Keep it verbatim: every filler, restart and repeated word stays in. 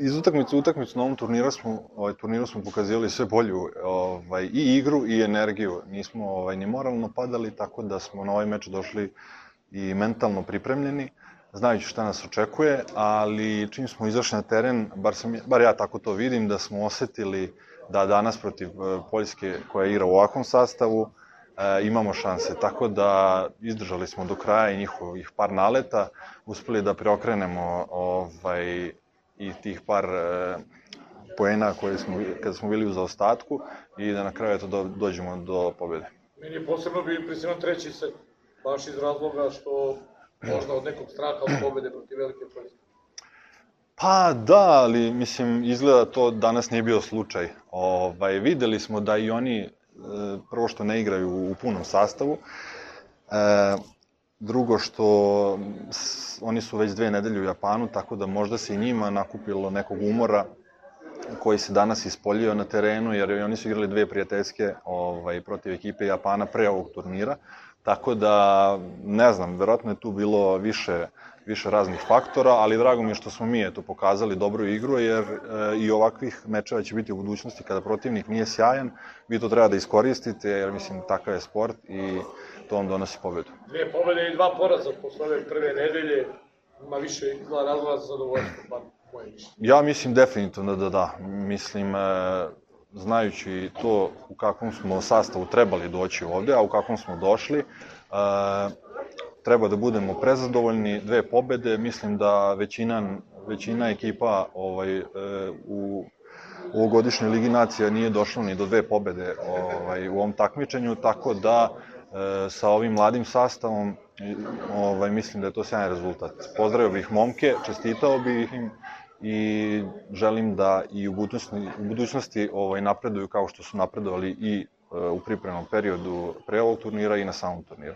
iz utakmice u utakmicu na ovom turniru smo, ovaj, turniru smo pokazivali sve bolju ovaj, i igru i energiju. Nismo ovaj, ni moralno padali, tako da smo na ovaj meč došli i mentalno pripremljeni, znajući šta nas očekuje, ali čim smo izašli na teren, bar, sam, bar ja tako to vidim, da smo osetili da danas protiv Poljske koja igra u ovakvom sastavu e, imamo šanse. Tako da izdržali smo do kraja i njihovih par naleta, uspeli da preokrenemo ovaj, i tih par e, poena koje smo, kada smo bili u zaostatku i da na kraju eto, do, dođemo do pobjede. Meni je posebno bio impresivan treći set, baš iz razloga što možda od nekog straha od pobjede protiv Velike Poljske. Pa da, ali mislim, izgleda to danas nije bio slučaj. Ovaj, videli smo da i oni e, prvo što ne igraju u punom sastavu, e, drugo što s, oni su već dve nedelje u Japanu, tako da možda se i njima nakupilo nekog umora koji se danas ispoljio na terenu, jer oni su igrali dve prijateljske ovaj, protiv ekipe Japana pre ovog turnira, tako da, ne znam, verovatno je tu bilo više, više raznih faktora, ali drago mi je što smo mi eto, pokazali dobru igru, jer e, i ovakvih mečeva će biti u budućnosti kada protivnik nije sjajan, vi to treba da iskoristite, jer mislim, takav je sport i to vam donosi pobedu. Dve pobede i dva poraza posle ove prve nedelje, ima više izgleda razloga za zadovoljstvo, pa moje mišljenje. Ja mislim definitivno da da, mislim, e, znajući to u kakvom smo sastavu trebali doći ovde, a u kakvom smo došli, e, treba da budemo prezadovoljni, dve pobede, mislim da većina, većina ekipa ovaj, e, u ovogodišnjoj Ligi nacija nije došla ni do dve pobede ovaj, u ovom takmičenju, tako da e, sa ovim mladim sastavom ovaj, mislim da je to sjajan rezultat. Pozdravio bih momke, čestitao bih im i želim da i u budućnosti, u budućnosti ovaj, napreduju kao što su napredovali i e, u pripremnom periodu pre ovog turnira i na samom turniru.